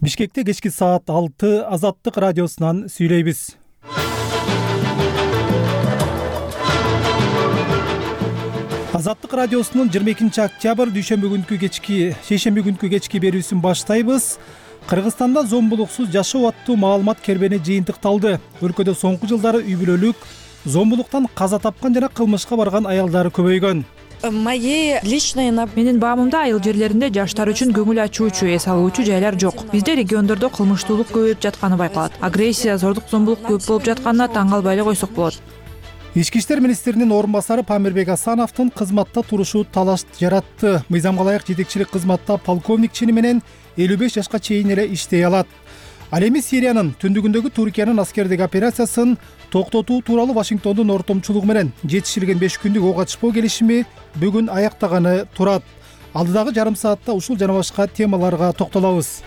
Бишкекте кечки саат 6 Азаттык радиосунан сүйлөйбүз. Азаттык радиосунун 22 октябрь шейшемби күнкү кечки берүүсүн баштайбыз. Кыргызстанда зомбулуксуз жашоо аттуу маалымат кербени жыйынтыкталды. Өлкөдө соңку жылдары үй бүлөлүк, зомбулуктан каза тапкан жана кылмышка барган аялдар көбөйгөн. Менин баамымда айыл жерлеринде жаштар үчүн көңүл ачуучу, эс алуучу жайлар жок. Бизде региондордо кылмыштуулук көбөйүп жатканы байкалат. Агрессия, зордук, зомбулук көп болуп жатканына таң калбай эле койсок болот. Ички иштер министринин орун басары Памирбек Асановдун кызматта турушу талаш жаратты. Мыйзамга ылайык жетекчилик кызматта полковник чини менен 55 жашка чейин эле иштей алат. Ал эми Сириянын түндүгүндөгү Туркиянын аскердик операциясын токтотуу тууралуу Вашингтондун ортомчулугу менен жетишилген 5 күндүк ок ачпоо келишими бүгүн аяктаганы турат. Алдыдагы жарым саатта ушул жана башка темаларга токтолобуз.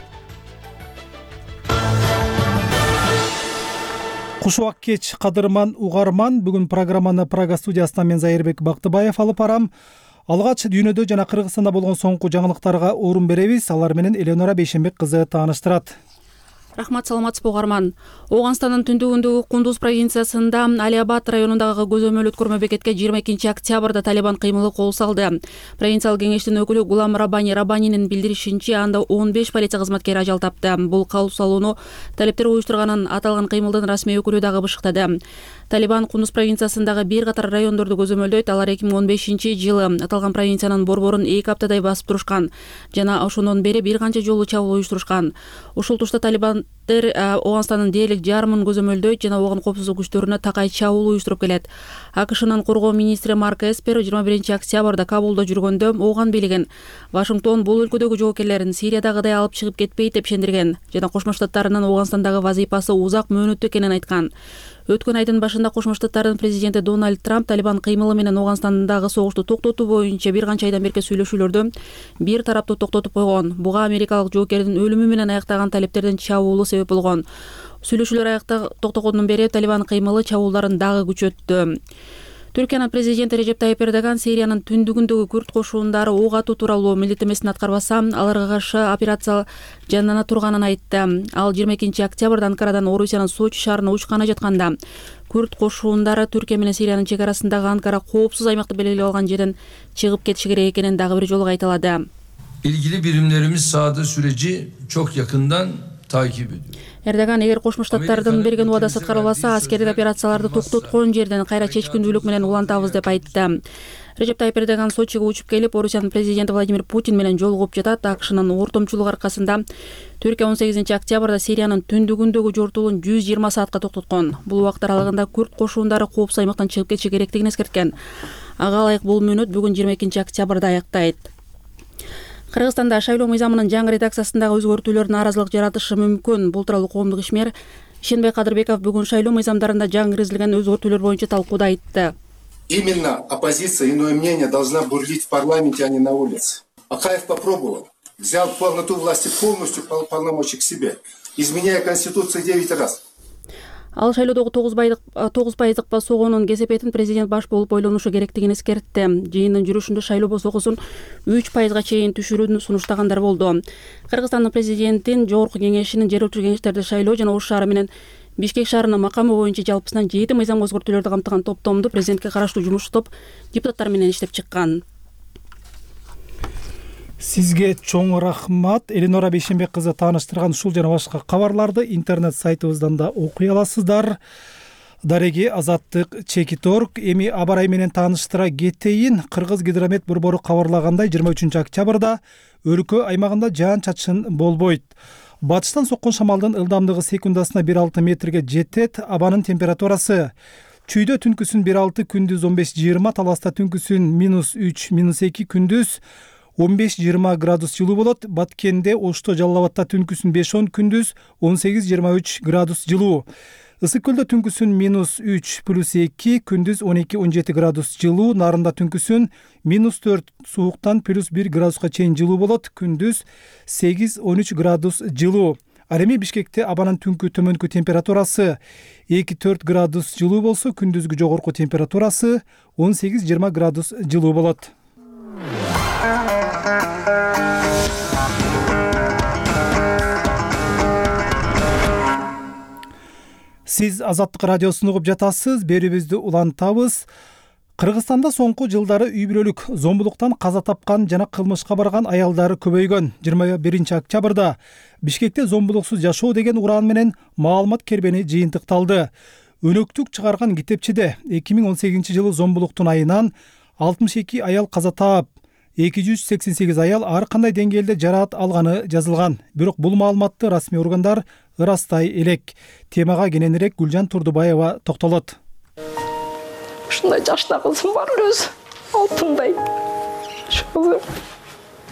Кушубак кеч кадырман угарман, бүгүн программаны Прага студиясынан мен Зайырбек Бактыбаев алып барам. Алгач дүйнөдө жана Кыргызстанда болгон соңку жаңылыктарга орун беребиз. Алар менен Эленора Бейшенбек кызы тааныштырат. Рахмат, саламатсызбы угарман. Ооганстандын түндүгүндөгү Кундуз провинциясында Алиабад районундагы көзөмөл өткөрмө бекетке 22 октябрда Талибан кыймылы кол салды. Провинциялык кеңештин өкүлү Гулам Рабанинин билдиришинче, анда 15 полиция кызматкери ажал тапты. Бул кол салууну талептер уюштурганын аталган кыймылдын расмий өкүлү дагы бышыктады. Талибан Кундуз провинциясындагы бир катар райондорду көзөмөлдөйт. Алар 2015-жылы аталган провинциянын борборун 2 аптадай басып турушкан жана ошондон бери бир канча жолу чабуул уюштурушкан. Ушул тушта Талибан Ооганстандын дээрлик жарымын көзөмөлдөйт жана огон коопсуздук күчтөрүнө такай чабуул уюштуруп келет. АКШнын коргоо министри Марк Эспер 21 октябрда Кабулда жүргөндө Ооган бийлигин Вашингтон бул өлкөдөгү жоокерлерин Сириядагыдай алып чыгып кетпейт деп ишендирген жана Кошмо Штаттарынын Ооганстандагы вазыйпасы узак мөөнөттүү экенин айткан. Өткөн айдын башында Кошмо Штаттардын президенти Дональд Трамп Талибан кыймылы менен Ооганстандагы согушту токтотуу боюнча бир канча айдан берки сүйлөшүүлөрдү бир тараптуу токтотуп койгон. Буга америкалык жоокердин өлүмү менен аяктаган талептердин чабуулу себеп болгон. Сүйлөшүүлөр токтогондон бери Талибан кыймылы чабуулдарын дагы күчөттү. Түркиянын президенти Режеп Тайип Эрдоган Сириянын түндүгүндөгү күрд кошуундары ок атуу тууралуу милдеттенмесин аткарбаса, аларга каршы операция жандана турганын айтты. Ал 22 октябрда Анкарадан Орусиянын Сочи шаарына учканы жатканда күрд кошуундары Түркия менен Сириянын чек арасындагы Анкара коопсуз аймакты белгилеп алган жерден чыгып кетиши керек экенин дагы бир жолу кайталады. İlgili birimlerimiz sahada süreci çok yakından takip ediyor. Эрдоган эгер Кошмо Штаттардын берген убадасы аткарылбаса, аскердик операцияларды токтоткон жерден кайра чечкиндүүлүк менен улантабыз деп айтты. Режеп Тайип Эрдоган Сочиге учуп келип, Орусиянын президенти Владимир Путин менен жолугуп жатат. АКШнын ортомчулугу аркасында Түркия 18 октябрда Сириянын түндүгүндөгү жортуулун 120 саатка токтоткон. Бул убакыт аралыгында күрд кошуундары коопсуз аймактан чыгып кетиши керектигин эскерткен. Ага ылайык бул мөөнөт бүгүн 22 октябрда аяктайт. Кыргызстанда шайлоо мыйзамынын жаңы редакциясындагы өзгөртүүлөр нааразылык жаратышы мүмкүн. Бул тууралуу коомдук ишмер Ишенбай Кадырбеков бүгүн шайлоо мыйзамдарында жаңы киргизилген өзгөртүүлөр боюнча талкууда айтты. Именно оппозиция, иное мнение должна бурлить в парламенте, а не на улице. Акаев попробовал, взял полноту власти полностью полномочий к себе, изменяя Конституцию 9 раз. Ал шайлоодогу 9% басоогонун кесепетин президент баш болуп ойлонушу керектигин эскертти. Жыйындын жүрүшүндө шайлоо басоогусун 3%га чейин түшүрүүнү сунуштагандар болду. Кыргызстандын президентин жогорку кеңешинин жер өлчү кеңештерди шайлоо жана Ош шаары менен Бишкек шаарынын макамы боюнча жалпысынан 7 мыйзам өзгөртүүлөрдү камтыган топтомду президентке караштуу жумуш топ депутаттар менен иштеп чыккан. Сизге чоң рахмат. Эленора Бейшенбек кызы тааныштырган ушул жана башка кабарларды интернет сайтыбыздан да окуй аласыздар. Дареги Азаттык Чекиторг. Эми абарай менен тааныштыра кетейин. Кыргыз гидромет борбору кабарлагандай 23 октябрда өлкө аймагында жаан-чачын болбойт. Батыштан соккон шамалдын ылдамдыгы секундасына 1,6 метрге жетет. Абанын температурасы чүйдө түнкүсүн 1,6, күндүз 15-20, таласта түнкүсүн -3, -2, күндүз 15-20 градус жылуу болот. Баткенде, Ошто, Жалал Абадта түнкүсүн 5-10, күндүз 18-23 градус жылуу. Ысык көлдө түнкүсүн -3 +2, күндүз 12-17 градус жылуу. Нарында түнкүсүн -4 сууктан +1 градуска чейин жылуу болот. Күндүз 8-13 градус жылуу. Ал эми Бишкекте абанын түнкү төмөнкү температурасы 2-4 градус жылуу болсо, күндүзгү жогорку температурасы 18-20 градус жылуу болот. Сиз Азаттык радиосун угуп жатасыз. Берүүбүздү улантабыз. Кыргызстанда соңку жылдары үй бүлөлүк зомбулуктан каза тапкан жана кылмышка барган аялдар көбөйгөн. 21 октябрда Бишкекте зомбулуксуз жашоо деген уран менен маалымат кербени жыйынтыкталды. Өнөктүк чыгарган китепчеде 2018 жылы зомбулуктун айынан 62 аял каза таап, 288 аял ар кандай деңгээлде жараат алганы жазылган. Бирок бул маалыматты расмий органдар ырастай элек. Темага кененирээк Гүлжан Турдубаева токтолот. Ушундай жашта кызым бар өзү. Алтындай.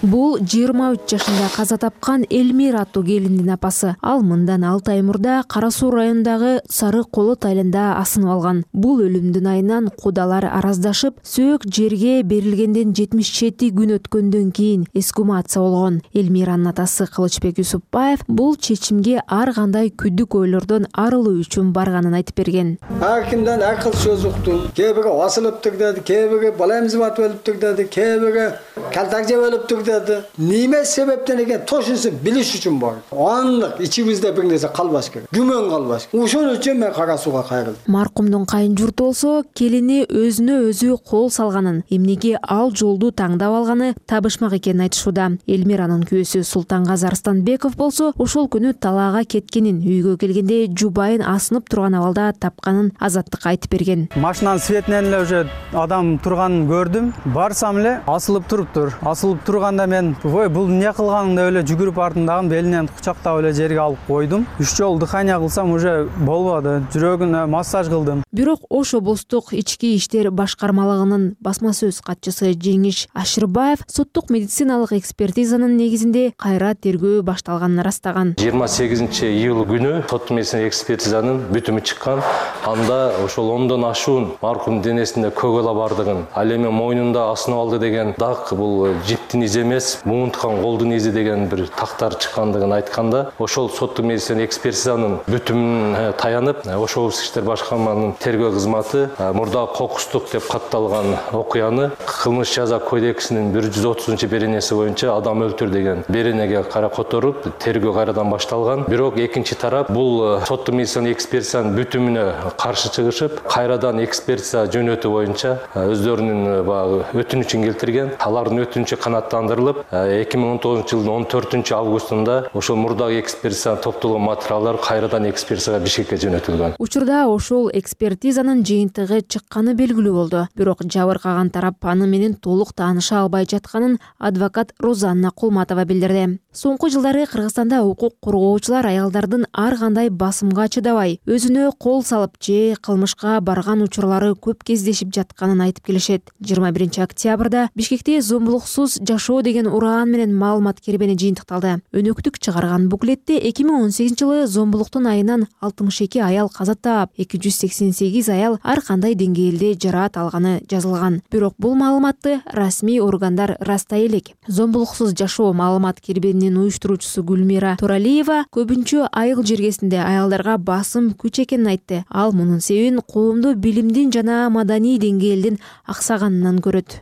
Бул 23 жашында каза тапкан Элмира аттуу келиндин апасы. Ал мындан 6 ай мурда Кара Суу районундагы Сары Колот айылында асынып алган. Бул өлүмдүн айынан кудалар араздашып, сөөк жерге берилгенден 77 күн өткөндөн кийин эскумация болгон. Элмиранын атасы Кылычбек Юсупбаев бул чечимге ар кандай күдүк ойлордон арылуу үчүн барганын айтып берген. Ар кимден ар кыл сөз уктум. Кээ бири асылыптыр деди, кээ бири баламыз батып өлүптүр деди, кээ бири калтак жеп өлүптүр деди. Неме себептен экен тошунсу билиш үчүн бар. Андык ичибизде бир нерсе калбаш керек. Күмөн калбаш. Ошон үчүн мен Кара Сууга кайрылдым. Маркумдун кайын журту болсо келини өзүнө өзү кол салганын, эмнеге ал жолду таңдап алганы табышмак экенин айтышууда. Элмиранын күйөөсү Султангазы Арстанбеков болсо ошол күнү талаага кеткенин, үйгө келгенде жубайын асынып турган абалда тапканын Азаттыкка айтып берген. Машинанын светинен эле уже адам турганын көрдүм. Барсам эле асылып туруптур. Асылып турганда мен бул эмне кылганың деп эле жүгүрүп артындагы белинен кучактап эле жерге алып койдум. 3 жолу дыхания кылсам уже болбоду. Жүрөгүнө массаж кылдым. Бирок Ош облустук ички иштер башкармалыгынын басма сөз катчысы Жеңиш Ашырбаев соттук медициналык экспертизанын негизинде кайра тергөө башталганын ырастаган. 28 июль күнү соттук медицина экспертизанын бүтүмү чыккан. Анда ошол 10дон ашуун маркумдун денесинде көгала бардыгын, ал эми мойнунда асынып алды деген дак бул жиптин изи эмес, муунткан колдун изи деген бир тактар чыккандыгын айтканда, ошол соттук медицина экспертизанын бүтүмүнө таянып, Ош облустук иштер башкармалыгынын тергөө кызматы мурдагы кокустук деп катталган окуяны кылмыш жаза кодексинин 130-беренеси боюнча адам өлтүр деген беренеге кара которуп, тергөө кайрадан башталган. Бирок экинчи тарап бул соттук медицина экспертизанын бүтүмүнө каршы чыгышып, кайрадан экспертиза жөнөтүү боюнча өздөрүнүн өтүнүчүн келтирген. Алардын өтүнүчү канааттандырылып, 2019 жылдын 14 августунда ошол мурдагы экспертиза топтолгон материалдар кайрадан экспертизага Бишкекке жөнөтүлгөн. Учурда ошол экспертизанын жыйынтыгы чыкканы белгилүү болду. Бирок жабыркаган тарап аны менен толук тааныша албай жатканын адвокат Розанна Кулматова билдирди. Соңку жылдары Кыргызстанда укук коргоочулар аялдардын ар кандай басымга чыдабай, өзүнө кол салып же кылмышка барган учурлары көп кездешип жатканын айтып келишет. 21 октябрда Бишкекте зомбулуксуз жашоо деген ураан менен маалымат кербени жыйынтыкталды. Өнөктүк чыгарган буклетте 2018 жылы зомбулуктун айынан 62 аял каза таап, 288 аял ар кандай деңгээлде жараат алганы жазылган. Бирок бул маалыматты расмий органдар ырастай элек. Зомбулуксуз жашоо маалымат кербенинин уюштуруучусу Гүлмира Туралиева көбүнчө айыл жергесинде аялдарга басым күч экенин айтты. Ал мунун себебин коомдо билимдин жана маданий деңгээлдин аксаганынан көрөт.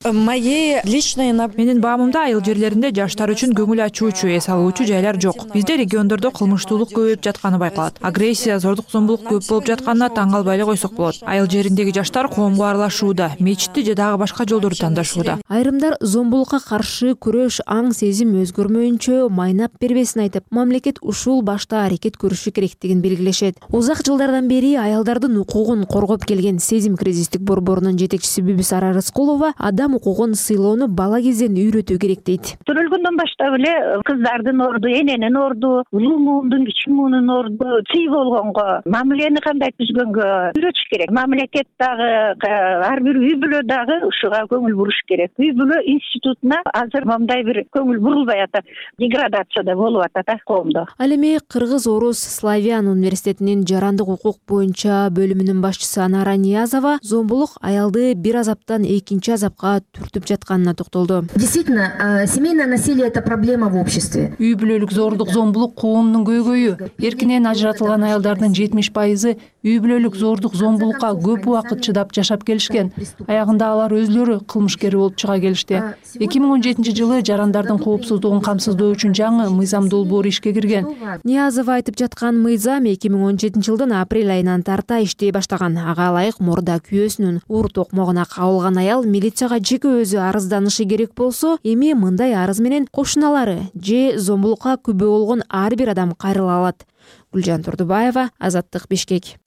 Менин баамымда айыл жерлеринде жаштар үчүн көңүл ачуучу, эс алуучу жайлар жок. Бизде региондордо кылмыштуулук көбөйүп жатканы байкалат. Агрессия, зордук зомбулук көп болуп жатканына таң калбай эле койсок болот. Айыл жериндеги жаштар коомго аралашууда, мечитти же дагы башка жолдорду тандашууда. Айрымдар зомбулукка каршы күрөш аң сезим өзгөрмөйүнчө майнап бербесин айтып, мамлекет ушул башта аракет көрүшү керектигин белгилешет. Узак жылдардан бери аялдардын укугун коргоп келген Сезим кризистик борборунун жетекчиси Бүбүсара Рыскулова адам укугун сыйлоону бала кезден үйрөтүү керек дейт. Төрөлгөндөн баштап эле кыздардын орду, эненин орду, улуу муундун, кичи муунун орду сый болгонго, мамилени кандай түзгөнгө үйрөтүш керек. Мамлекет дагы, ар бир үй бүлө дагы ушуга көңүл буруш керек. Үй бүлө институтуна азыр мындай бир көңүл бурулбай атат. Деградация болуп атат коомдо. Ал эми Кыргыз Орус Славян университетинин жарандык укук боюнча бөлүмүнүн башчысы Анара Ниязова зомбулук аялды бир азаптан экинчи азапка түртүп жатканына токтолду. Действительно, Семейное насилие — это проблема в обществе. Үй бүлөлүк зордук, зомбулук коомдун көйгөйү. Эркинен ажыратылган аялдардын 70% үй бүлөлүк зордук, зомбулукка көп убакыт чыдап жашап келишкен. Аягында алар өзлөрү кылмышкер болуп чыга келишти. 2017-жылы жарандардын коопсуздугун камсыздоо үчүн жаңы мыйзам долбоору ишке кирген. Ниязов айтып жаткан мыйзам 2017-жылдын апрель айынан тарта иштей баштаган. Ага ылайык мурда күйөөсүнүн уур токмогуна кабылган аял милицияга жеке өзү арызданышы керек болсо, эми мындай арыз менен кошуналары же зомбулукка күбө болгон ар бир адам кайрыла алат. Гүлжан Турдубаева, Азаттык, Бишкек.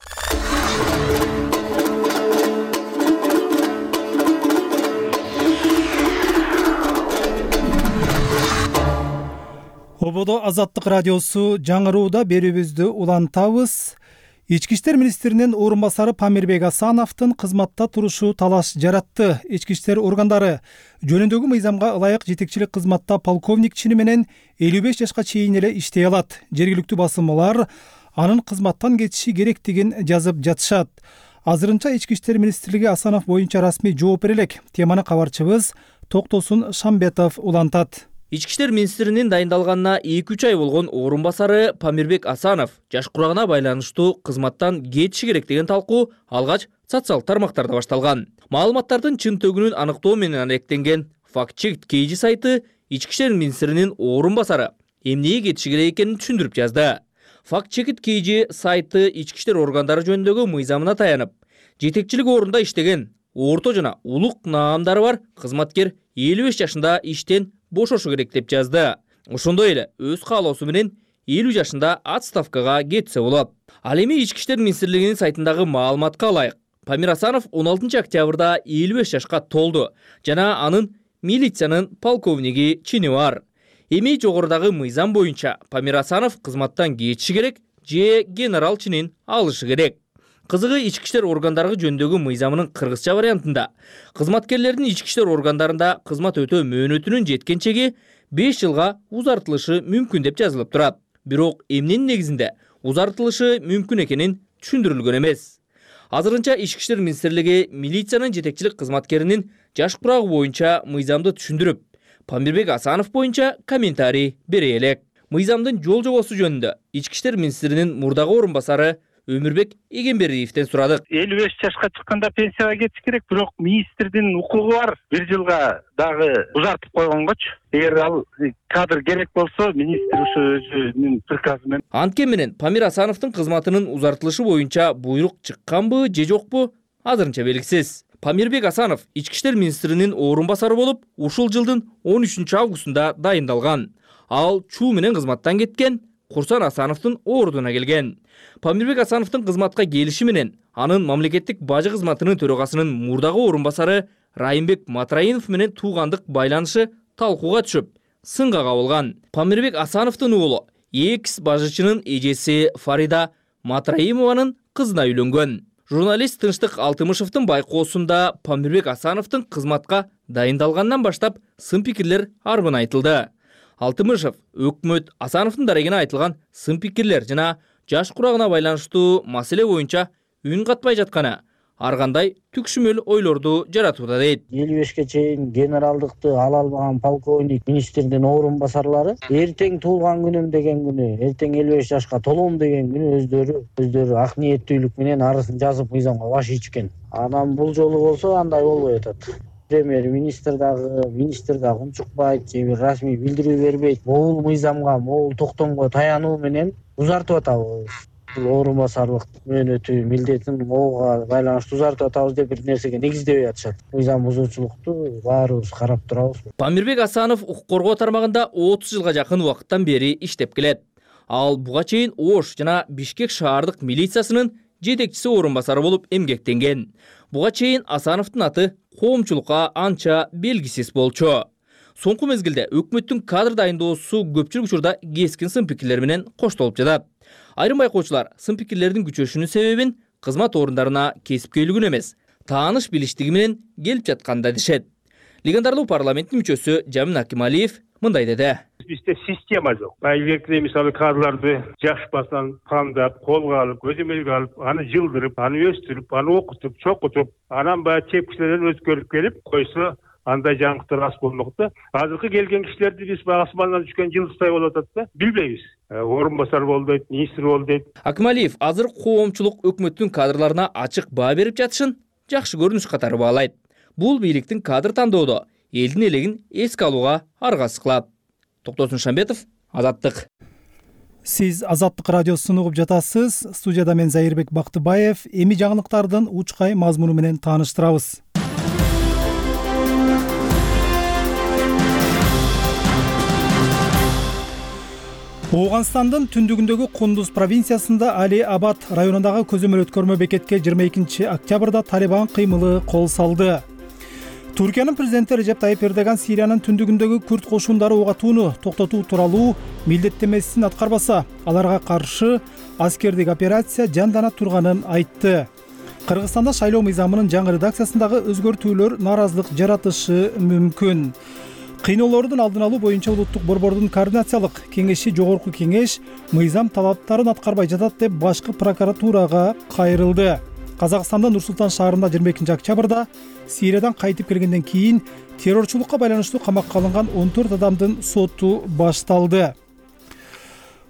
Ободо Азаттык радиосу жаңырууда берүүбүздү улантабыз. Ички иштер министринин орун басары Памирбек Асановдун кызматта турушу талаш жаратты. Ички иштер органдары жөнүндөгү мыйзамга ылайык жетекчилик кызматта полковник чини менен 55 жашка чейин эле иштей алат. Жергиликтүү басылмалар анын кызматтан кетиши керектигин жазып жатышат. Азырынча ички иштер министрлиги Асанов боюнча расмий жооп бере элек. Теманы кабарчыбыз Токтосун Шамбетов улантат. Ички иштер министринин дайындалганына 2-3 ай болгон орун басары Памирбек Асанов жаш курагына байланыштуу кызматтан кетиши керек деген талкуу алгач социалдык тармактарда башталган. Маалыматтардын чын төгүнүн аныктоо менен алектенген Fact-Check KG сайты ички иштер министринин орун басары эмнеге кетиши керек экенин түшүндүрүп жазды. Fact-Check KG сайты ички иштер органдары жөнүндөгү мыйзамына таянып, жетекчилик орунда иштеген орто жана улук наамдары бар кызматкер 55 жашында иштен бошошу керек деп жазды. Ошондой эле өз каалоосу менен 50 жашында отставкага кетсе болот. Ал эми ички иштер министрлигинин сайтындагы маалыматка ылайык Памир Асанов 16 октябрда 55 жашка толду жана анын милициянын полковниги чини бар. Эми жогорудагы мыйзам боюнча Памир Асанов кызматтан кетиши керек же генерал чинин алышы керек. Кызыгы ички иштер органдары жөнүндөгү мыйзамынын кыргызча вариантында кызматкерлердин ички иштер органдарында кызмат өтөө мөөнөтүнүн жеткенчеги 5 жылга узартылышы мүмкүн деп жазылып турат. Бирок эмненин негизинде узартылышы мүмкүн экенин түшүндүрүлгөн эмес. Азырынча ички иштер министрлиги милициянын жетекчилик кызматкеринин жаш курагы боюнча мыйзамды түшүндүрүп, Памирбек Асанов боюнча комментарий бере элек. Мыйзамдын жол жобосу жөнүндө ички иштер министринин мурдагы орун басары Өмүрбек Эгембериевден сурадык. 55 жашка чыкканда пенсияга кетиш керек, бирок министрдин укугу бар. 1 жылга дагы узартып койгонгочу. Эгер ал кадр керек болсо, министр ошо өзүнүн приказы менен. Анткени менен Памир Асановдун кызматынын узартылышы боюнча буйрук чыкканбы же жокпу азырынча белгисиз. Памирбек Асанов ички иштер министринин орун басары болуп, ушул жылдын 13 августунда дайындалган. Ал чуу менен кызматтан кеткен, Курсан Асановдун ордуна келген. Памирбек Асановдун кызматка келиши менен анын мамлекеттик бажы кызматынын төрагасынын мурдагы орун басары Райымбек Матраинов менен туугандык байланышы талкууга түшүп, сынга кабылган. Памирбек Асановдун уулу экс бажычынын эжеси Фарида Матраимованын кызына үйлөнгөн. Журналист Тынчтык Алтымышевдин байкоосунда Памирбек Асановдун кызматка дайындалгандан баштап сын пикирлер арбын айтылды. Алтымышев өкмөт Асановдун дарегине айтылган сын пикирлер жана жаш курагына байланыштуу маселе боюнча үн катпай жатканы ар кандай түкшүмөл ойлорду жаратууда дейт. 55ке чейин генералдыкты ала албаган полковник министрдин орун басарлары эртең туулган күнүм деген күнү, эртең 55 жашка толом деген күнү өздөрү ак ниеттүүлүк менен арызын жазып мыйзамга баш ийишкен. Анан бул жолу болсо андай болбой атат. Премьер-министр дагы унчукпайт, же бир расмий билдирүү бербейт. Могул мыйзамга, могул токтомго таянуу менен узартып атабыз. Бул орун басарлык мөөнөтү, милдетин могуга байланыштуу узартып атабыз деп бир нерсеге негиздебей атышат. Мыйзам бузуучулукту баарыбыз карап турабыз. Памирбек Асанов укук коргоо тармагында 30 жылга жакын убакыттан бери иштеп келет. Ал буга чейин Ош жана Бишкек шаардык милициясынын жетекчиси орун басары болуп эмгектенген. Буга чейин Асановдун аты коомчулукка анча белгисиз болчу. Соңку мезгилде өкмөттүн кадр дайындоосу көпчүлүк учурда кескин сын пикирлер менен коштолуп жатат. Айрым байкоочулар сын пикирлердин күчөшүнүн себебин кызмат орундарына кесипкөйлүгүн эмес, тааныш билиштиги менен келип жатканда дешет. Легендарлуу парламенттин мүчөсү Жамин Акималиев мындай деди. Бизде система жок. Байлыкты мисалы кадрларды жаш басан тандап, колго алып, көзөмөлгө алып, аны жылдырып, аны өстүрүп, аны окутуп, чокутуп, анан баягы чепкичилерден өткөрүп келип койсо, андай жаңылыктар аз болмок да. Азыркы келген кишилерди биз асмандан түшкөн жылдыздай болуп атат да. Билбейбиз. Орун басар болду дейт, министр болду дейт. Акмалиев азыр коомчулук өкмөттүн кадрларына ачык баа берип жатышын жакшы көрүнүш катары баалайт. Бул бийликтин кадр тандоодо элдин элегин эске алууга аргасы кылат. Токтосун Шамбетов, Азаттык. Сиз Азаттык радиосун угуп жатасыз. Студияда мен Зайырбек Бактыбаев. Эми жаңылыктардын учкай мазмуну менен тааныштырабыз. Ооганстандын түндүгүндөгү Кундуз провинциясында Али Абад районундагы көзөмөл өткөрмө бекетке 22 октябрда Талибан кыймылы кол салды. Туркиянын президенти Режеп Тайип Эрдоган Сириянын түндүгүндөгү күрд кошундары ок атууну токтотуу тууралуу милдеттенмесин аткарбаса, аларга каршы аскердик операция жандана турганын айтты. Кыргызстанда шайлоо мыйзамынын жаңы редакциясындагы өзгөртүүлөр нааразылык жаратышы мүмкүн. Кыйноолордун алдын алуу боюнча улуттук борбордун координациялык кеңеши жогорку кеңеш мыйзам талаптарын аткарбай жатат деп башкы прокуратурага кайрылды. Казакстандын Нур-Султан шаарында 22 октябрда Сириядан кайтып келгенден кийин террорчулукка байланыштуу камакка алынган 14 адамдын соту башталды.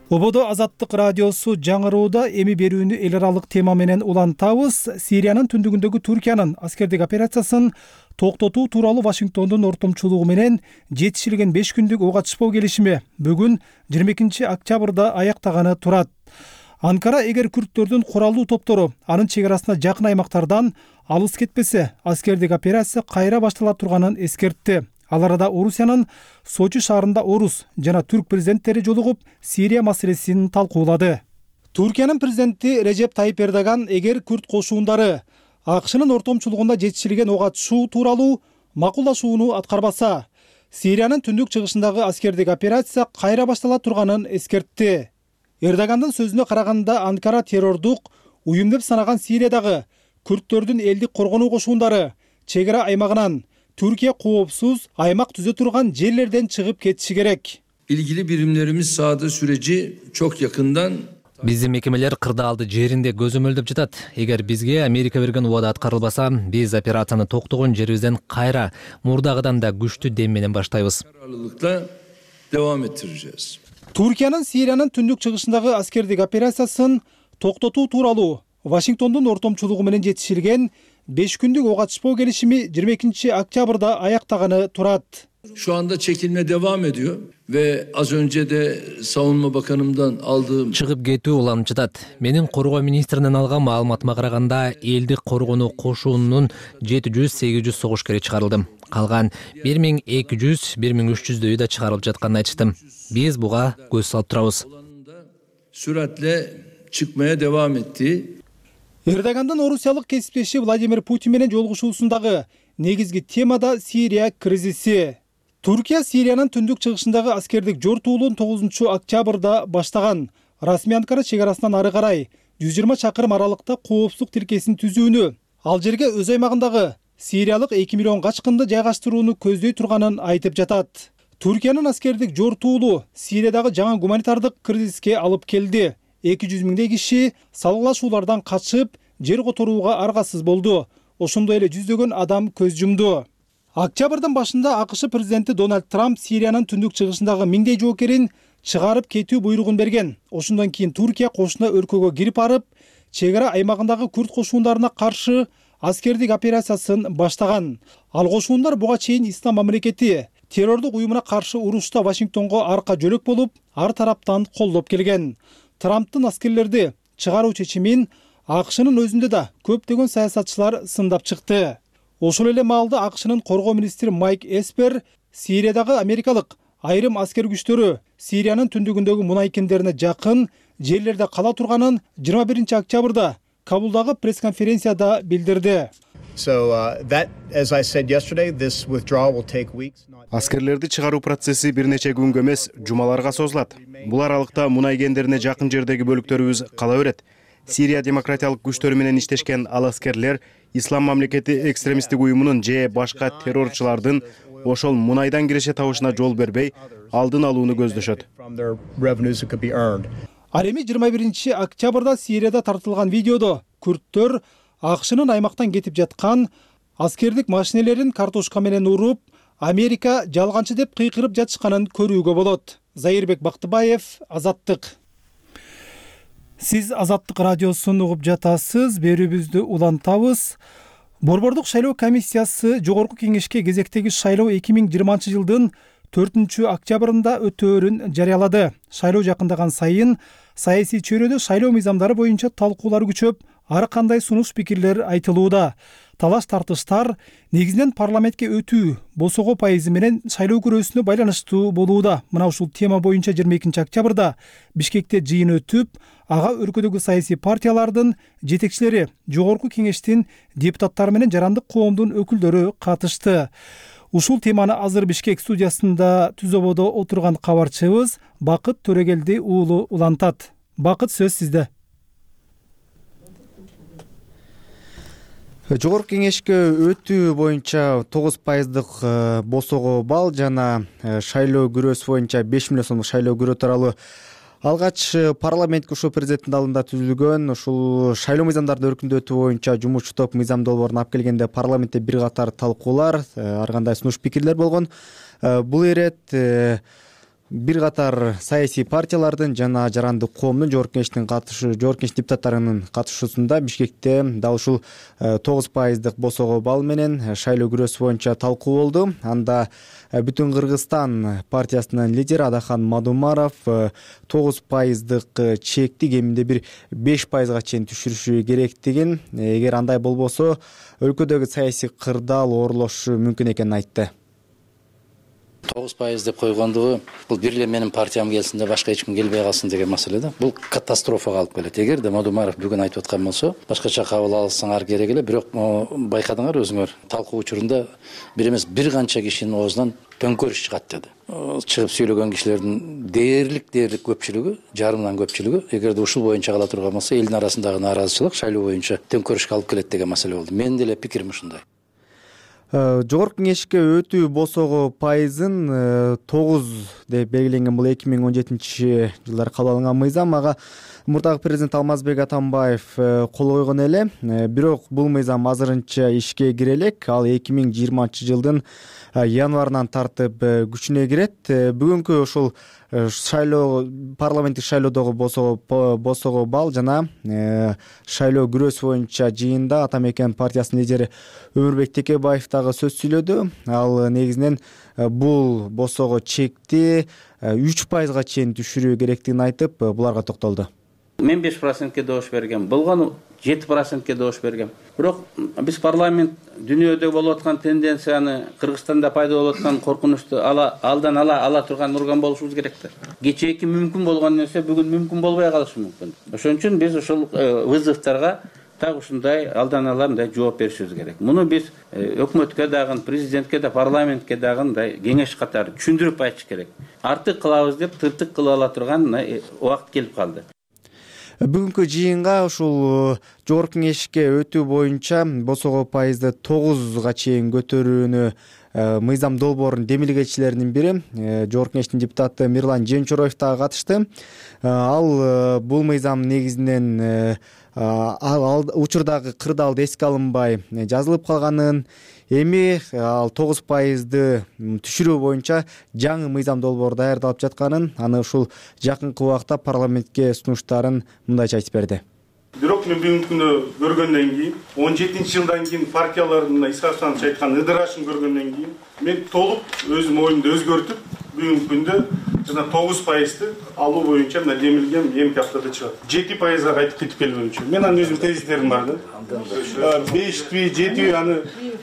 Ободо Азаттык радиосу жаңырууда эми берүүнү эл аралык тема менен улантабыз. Сириянын түндүгүндөгү Туркиянын аскердик операциясын токтотуу тууралуу Вашингтондун ортомчулугу менен жетишилген 5 күндүк ок атышпоо келишими бүгүн 22 октябрда аяктаганы турат. Анкара эгер күрдтөрдүн куралдуу топтору анын чек арасына жакын аймактардан алыс кетпесе, аскердик операция кайра баштала турганын эскертти. Ал арада Орусиянын Сочи шаарында орус жана түрк президенттери жолугуп Сирия маселесин талкуулады. Туркиянын президенти Режеп Тайип Эрдоган эгер күрд кошуундары АКШнын ортомчулугунда жетишилген ок атышуу тууралуу макулдашууну аткарбаса, Сириянын түндүк чыгышындагы аскердик операция кайра баштала турганын эскертти. Эрдогандын сөзүнө караганда Анкара террордук уюм деп санаган Сириядагы күрдтөрдүн элдик коргонуу кошуундары чек ара аймагынан Türkiye коопсуз аймак түзө турган жерлерден чыгып кетиши керек. İlgili birimlerimiz sahada süreci çok yakından Биздин мекемелер кырдаалды жеринде көзөмөлдөп жатат. Эгер бизге Америка берген убада аткарылбаса, биз операцияны токтогон жерибизден кайра мурдагыдан да күчтүү дем менен баштайбыз. Devam ettireceğiz. Туркиянын Сириянын түндүк чыгышындагы аскердик операциясын токтотуу тууралуу Вашингтондун ортомчулугу менен жетишилген 5 күндүк ок атышпоо келишими 22 октябрда аяктаганы турат. Şu anda çekilme devam ediyor ve az önce de Savunma Bakanımdan aldığım чыгып кетүү уланып жатат. Менин коргоо министринен алган маалыматыма караганда, элдик коргонуу кошуунун 700-800 согушкери чыгарылды. Калган 1200-1300дөйү да чыгарылып жатканын айтышты. Биз буга көз салып турабыз. Süratle çıkmaya devam etti. Эрдогандын орусиялык кесиптеши Владимир Путин менен жолугушуусундагы негизги тема да Сирия кризиси. Туркия Сириянын түндүк чыгышындагы аскердик жортуулун 9 октябрда баштаган. Расмий Анкара чек арасынан ары карай 120 чакырым аралыкта коопсуздук тилкесин түзүүнү, ал жерге өз аймагындагы сириялык 2 миллион качкынды жайгаштырууну көздөй турганын айтып жатат. Туркиянын аскердик жортуулу Сириядагы жаңы гуманитардык кризиске алып келди. 200 миңдей киши салгылашуулардан качып, жер которууга аргасыз болду. Ошондой эле жүздөгөн адам көз жумду. Октябрдын башында АКШ президенти Дональд Трамп Сириянын түндүк чыгышындагы миңдей жоокерин чыгарып кетүү буйругун берген. Ошондон кийин Туркия кошуна өлкөгө кирип барып, чек ара аймагындагы күрд кошуундарына каршы аскердик операциясын баштаган. Ал кошуундар буга чейин Ислам мамлекети террордук уюмуна каршы урушта Вашингтонго арка жөлөк болуп, ар тараптан колдоп келген. Трамптын аскерлерди чыгаруу чечимин АКШнын өзүндө да көптөгөн саясатчылар сындап чыкты. Ошол эле маалда АКШнын коргоо министри Майк Эспер Сириядагы америкалык айрым аскер күчтөрү Сириянын түндүгүндөгү мунай кендерине жакын жерлерде кала турганын 21 октябрда Кабулдагы пресс-конференцияда билдирди. Аскерлерди чыгаруу процесси бир нече күнгө эмес, жумаларга созулат. Бул аралыкта мунай кендерине жакын жердеги бөлүктөрүбүз кала берет. Сирия демократиялык күчтөрү менен иштешкен ал аскерлер Ислам мамлекети экстремисттик уюмунун же башка террорчулардын ошол мунайдан киреше табышына жол бербей, алдын алууну көздөшөт. Ал эми 21 октябрда Сирияда тартылган видеодо күрдтөр АКШнын аймактан кетип жаткан аскердик машинелерин картошка менен уруп, Америка жалганчы деп кыйкырып жатышканын көрүүгө болот. Заирбек Бактыбаев, Азаттык. Сиз Азаттык радиосун угуп жатасыз. Берүүбүздү улантабыз. Борбордук шайлоо комиссиясы жогорку кеңешке кезектеги шайлоо 2020 жылдын 4-октябрында өтөөрүн жарыялады. Шайлоо жакындаган сайын саясий чөйрөдө шайлоо мыйзамдары боюнча талкуулар күчөп, ар кандай сунуш пикирлер айтылууда. Талаш-тартыштар негизинен парламентке өтүү босого пайызы менен шайлоо күрөөсүнө байланыштуу болууда. Мына ушул тема боюнча 22 октябрда Бишкекте жыйын өтүп, ага өлкөдөгү саясий партиялардын жетекчилери, жогорку кеңештин депутаттары менен жарандык коомдун өкүлдөрү катышты. Ушул теманы азыр Бишкек студиясында түзөбодо отурган кабарчыбыз Бакыт Төрөгелди уулу улантат. Бакыт, сөз сизде. Жогорку кеңешке өтүү боюнча 9% босого балл жана шайлоо күрөөсү боюнча 5 миллион сомдук шайлоо күрөө тууралуу алгач парламентке ушул президенттин алдында түзүлгөн ушул шайлоо мыйзамдарды өркүндөтүү боюнча жумушчу топ мыйзам долбоорун алып келгенде парламентте бир катар талкуулар, ар кандай сунуш пикирлер болгон. Бул ирет бир катар саясий партиялардын жана жарандык коомдун жогорку кеңеш депутаттарынын катышуусунда Бишкекте дал ушул 9% босого балл менен шайлоо күрөөсү боюнча талкуу болду. Анда Бүтүн Кыргызстан партиясынын лидери Адахан Мадумаров 9% чекти кеминде бир 5%га чейин түшүрүшү керектигин, эгер андай болбосо өлкөдөгү саясий кырдаал оорлошу мүмкүн экенин айтты. 9% деп койгондугу бул бир эле менин партиям келсин да башка эч ким келбей калсын деген маселе да. Бул катастрофага алып келет. Эгерде Мадумаров бүгүн айтып аткан болсо, башкача кабыл алсаңар керек эле, бирок байкадыңар өзүңөр, талкуу учурунда бир эмес бир канча кишинин оозунан төңкөрүш чыгат деди. Чыгып сүйлөгөн кишилердин дээрлик көпчүлүгү, жарымдан көпчүлүгү, эгерде ушул боюнча кала турган болсо, элдин арасындагы нааразычылык шайлоо боюнча төңкөрүшкө алып келет деген маселе болду. Менин деле пикирим ушундай. Жогорку кеңешке өтүү босого пайызын 9 деп белгиленген. Бул 2017 жылдары кабыл алынган мыйзам. Ага мурдагы президент Алмазбек Атамбаев кол койгон эле. Бирок бул мыйзам азырынча ишке кире элек. Ал 2020 жылдын январынан тартып күчүнө кирет. Бүгүнкү ушул шайлоо, парламенттик шайлоодогу босого балл жана шайлоо күрөөсү боюнча жыйында Атамекен партиясынын лидери Өмүрбек Текебаев дагы сөз сүйлөдү. Ал негизинен бул босого чекти 3%га чейин түшүрүү керектигин айтып, буларга токтолду. Мен 5%ке добуш бергем, болгону 7%ке добуш бергем. Бирок биз парламент дүйнөдө болуп аткан тенденцияны, Кыргызстанда пайда болуп аткан коркунучту алдан ала турган урган болушубуз керек да. Кечээки мүмкүн болгон нерсе бүгүн мүмкүн болбой калышы мүмкүн. Ошон үчүн биз ушул вызовторго так ушундай алдан ала мындай жооп беришибиз керек. Муну биз өкмөткө дагы, президентке да, парламентке дагы мындай кеңеш катары түшүндүрүп айтыш керек. Артык кылабыз деп тыртык кылып ала турган убакыт келип калды. Бүгүнкү жыйынга ушул жогорку кеңешке өтүү боюнча босого пайызды 9га чейин көтөрүүнү мыйзам долбоорунун демилгечилеринин бири жогорку кеңештин депутаты Мирлан Жемчороев дагы катышты. Ал бул мыйзам негизинен учурдагы кырдаалды эске алынбай жазылып калганын, эми ал 9%ды түшүрүү боюнча жаңы мыйзам долбоор даярдалып жатканын, аны ушул жакынкы убакта парламентке сунуштарын мындайча айтып берди. Бирок мен бүгүнкү күнү көргөндөн кийин, 17-жылдан кийин партиялардын Исхак Асанович айткан ыдырашын көргөндөн кийин, мен толук өзүм оюмду өзгөртүп, бүгүнкү күндө жана 9%ды алуу боюнча мына демилгем эмки аптада чыгат. 7%га кайтып келгөнчү. Мен анын өзүм тезистерим бар да. 5-би, 7-би аны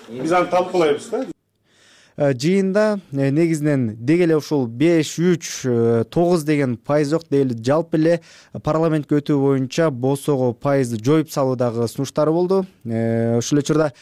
биз аны талкуулайбыз да. Жыйында негизинен деги эле ушул 5, 3, 9 деген пайыз жок, деги жалпы эле парламентке өтүү боюнча босого пайызды жоюп салуудагы сунуштары болду. Ушул учурда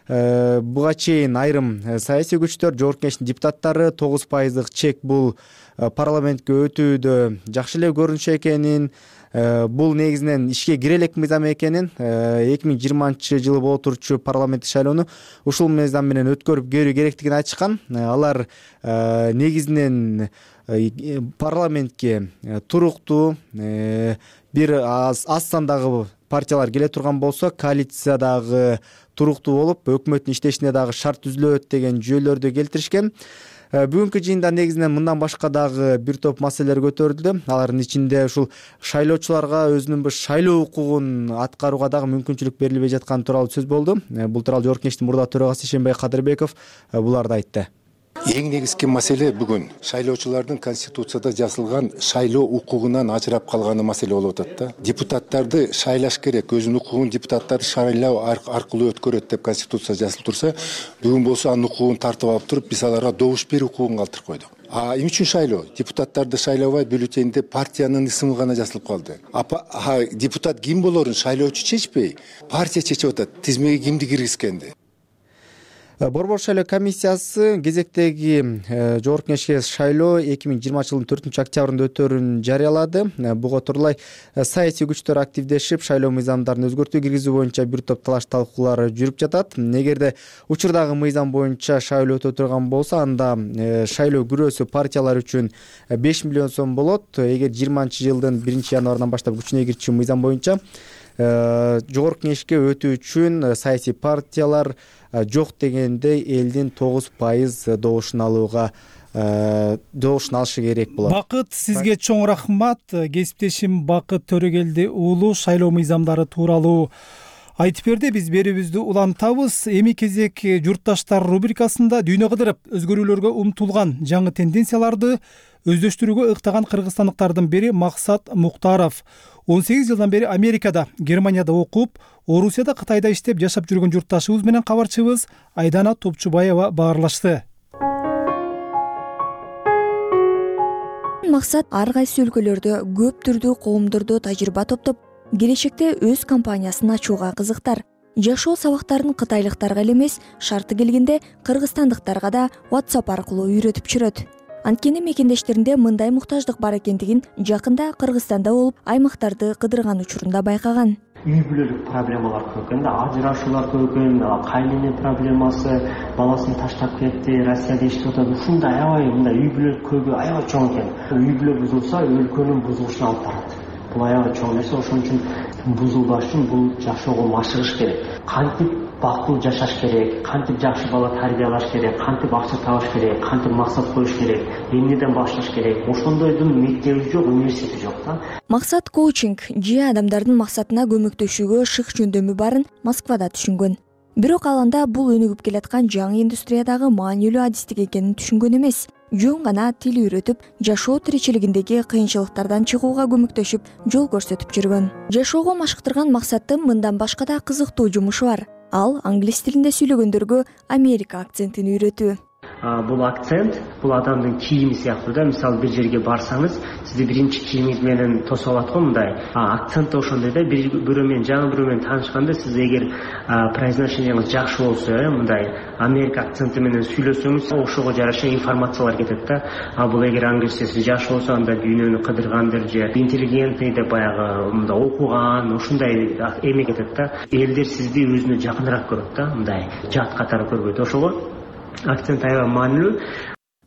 буга чейин айрым саясий күчтөр, жогорку кеңештин депутаттары 9%дык чек бул парламентке өтүүдө жакшы эле көрүнүшү экенин, бул негизинен ишке кире элек мыйзам экенин, 2020 жылы боло турчу парламенттик шайлоону ушул мыйзам менен өткөрүп көрүү керектигин айтышкан. Алар негизинен парламентке туруктуу бир аз сандагы партиялар келе турган болсо коалициядагы туруктуу болуп өкмөттүн иштешине дагы шарт түзүлөт деген жүйөлөрдү келтиришкен. Бүгүнкү жыйында негизинен мындан башка дагы бир топ маселелер көтөрүлдү. Алардын ичинде ушул шайлоочуларга өзүнүн бир шайлоо укугун аткарууга дагы мүмкүнчүлүк берилбей жатканы тууралуу сөз болду. Бул тууралуу Жогорку Кеңештин мурда төрагасы Ишенбай Кадырбеков буларды айтты. Эң негизги маселе бүгүн шайлоочулардын конституцияда жазылган шайлоо укугунан ажырап калганы маселе болуп атат да. Депутаттарды шайлаш керек, өзүнүн укугун депутаттарды шайлоо аркылуу өткөрөт деп конституцияда жазылып турса, бүгүн болсо анын укугун тартып алып туруп, биз аларга добуш берүү укугун калтырып койдук. Эмне үчүн шайлоо? Депутаттарды шайлабай бюллетенде партиянын исми гана жазылып калды. Депутат ким болорун шайлоочу чечпей, партия чечип атат, тизмеге кимди киргизгенди. Борбор шайлоо комиссиясы кезектеги Жогорку Кеңешке шайлоо 2020 жылдын 4 октябрында өтөрүн жарыялады. Буга турлай саясий күчтөр активдешип, шайлоо мыйзамдарын өзгөртүү киргизүү боюнча бир топ талаш талкуулар жүрүп жатат. Эгерде учурдагы мыйзам боюнча шайлоо өтө турган болсо, анда шайлоо күрөөсү партиялар үчүн 5 миллион сом болот. Эгер 20 жылдын 1 январынан баштап күчүнө кирчү мыйзам боюнча Жогорку Кеңешке өтүү үчүн саясий партиялар жок дегенде элдин 9% добушун алышы керек болот. Бакыт, сизге чоң рахмат. Кесиптешим Бакыт Төрөгелди уулу шайлоо мыйзамдары тууралуу айтып берди. Биз берүүбүздү улантабыз. Эми кезек журтташтар рубрикасында дүйнө кыдырып өзгөрүүлөргө умтулган жаңы тенденцияларды өздөштүрүүгө ыктаган кыргызстандыктардын бири Максат Муктаров. 18 жылдан бери Америкада, Германияда окуп, Орусияда, Кытайда иштеп жашап жүргөн журтташыбыз менен кабарчыбыз Айдана Топчубаева баарлашты. Максат ар кайсы өлкөлөрдө көп түрдүү коомдордо тажрыйба топтоп, келечекте өз компаниясын ачууга кызыктар. Жашоо сабактарын кытайлыктарга эле эмес, шарты келгенде кыргызстандыктарга да WhatsApp аркылуу үйрөтүп жүрөт. Анткени мекендештеринде мындай муктаждык бар экендигин жакында Кыргызстанда болуп, аймактарды кыдырган учурунда байкаган. Үй бүлөлүк проблемалар көп экен, ажырашуулар көп экен, кайнене проблемасы, баласын таштап кетти, Россияда иштеп атат. Ушундай аябай мындай үй бүлөлүк көйгөй аябай чоң экен. Үй бүлө бузулса, өлкөнүн бузулушуна алып барат. Бул аябай чоң нерсе, ошон үчүн бузулбаш үчүн бул жашоого машыгыш керек. Кантип бактылуу жашаш керек, кантип жакшы бала тарбиялаш керек, кантип акча табыш керек, кантип максат коюш керек, эмнеден башташ керек. Ошондойдун мектеби жок, университети жок да. Максат коучинг же адамдардын максатына көмөктөшүүгө шык жөндөмү барын Москвада түшүнгөн. Бирок ал анда бул өнүгүп келаткан жаңы индустриядагы маанилүү адистик экенин түшүнгөн эмес. Жөн гана тил үйрөтүп, жашоо тиричилигиндеги кыйынчылыктардан чыгууга көмөктөшүп, жол көрсөтүп жүргөн. Жашоого машыктырган Максаттын мындан башка да кызыктуу жумушу бар. Ал англис тилинде сүйлөгөндөргө Америка акцентин үйрөтүү. Бул акцент, бул адамдын кийими сыяктуу да. Мисалы бир жерге барсаңыз, сизди биринчи кийимиңиз менен тосуп алат го мындай. Акцент да ошондой да. Бирөө менен, жаңы бирөө менен таанышканда сиз эгер произношениеңиз жакшы болсо, мындай Америка акценти менен сүйлөсөңүз, ошого жараша информациялар кетет да. Бул эгер англисчеси жакшы болсо, анда дүйнөнү кыдыргандыр же интеллигентный деп баягы мындай окуган, ушундай эме кетет да. Элдер сизди өзүнө жакыныраак көрөт да, мындай жат катары көрбөйт. Ошого акцент аябай маанилүү.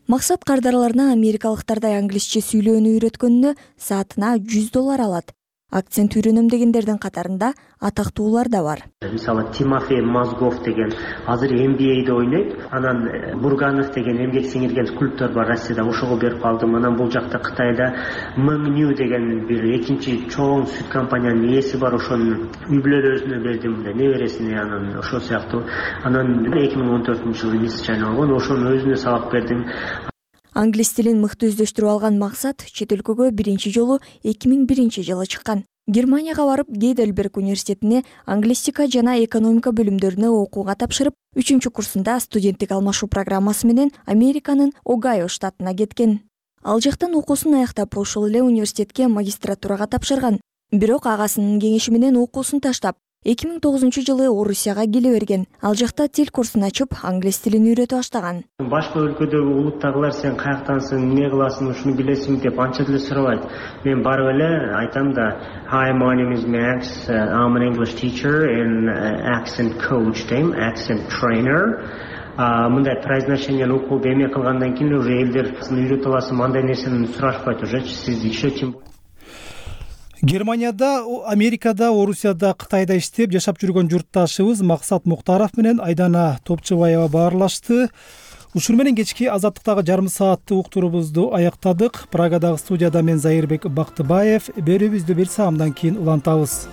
Максат кардарларына америкалыктардай англисче сүйлөөнү үйрөткөнүнө саатына $100 алат. Акцент үйрөнөм дегендердин катарында атактуулар да бар. Мисалы Тимофей Мозгов деген азыр NBA'де ойнойт. Анан Бурганов деген эмгек сиңирген скульптор бар Россияда, ошого берип калдым. Анан бул жакта Кытайда Мэнгню деген бир экинчи чоң сүт компаниянын ээси бар, ошонун үй бүлөлөрүнө бердим, небересине, анан ошол сыяктуу. Анан 2014-жылы мисс Чайна болгон, ошону өзүнө сабак бердим. Англис тилин мыкты өздөштүрүп алган Максат чет өлкөгө биринчи жолу 2001 жылы чыккан. Германияга барып, Гейдельберг университетине англистика жана экономика бөлүмдөрүнө окууга тапшырып, 3-курсунда студенттик алмашуу программасы менен Американын Огайо штатына кеткен. Ал жактан окуусун аяктап, ошол эле университетке магистратурага тапшырган. Бирок агасынын кеңеши менен окуусун таштап, 2009 жылы Орусияга келе берген. Ал жакта тил курсун ачып, англис тилин үйрөтө баштаган. Башка өлкөдөгү улуттагылар сен каяктансың, эмне кыласың, ушуну билесиңби деп анча деле сурабайт. Мен барып эле айтам да, "Hi, my name is Max. I'm an English teacher and accent coach, accent trainer. мындай произношениялы укугду эме кылгандан кийин уже элдер үйрөтүп аласың андай нерсени сурашпайт уже сиз еще чем. Германияда, Америкада, Орусияда, Кытайда иштеп жашап жүргөн журтташыбыз Максат Муктаров менен Айдана Топчубаева баарлашты. Ушуну менен кечки Азаттыктагы жарым сааттык уктуруубузду аяктадык. Прагадагы студияда мен Зайырбек Бактыбаев. Берүүбүздү бир саамдан кийин улантабыз.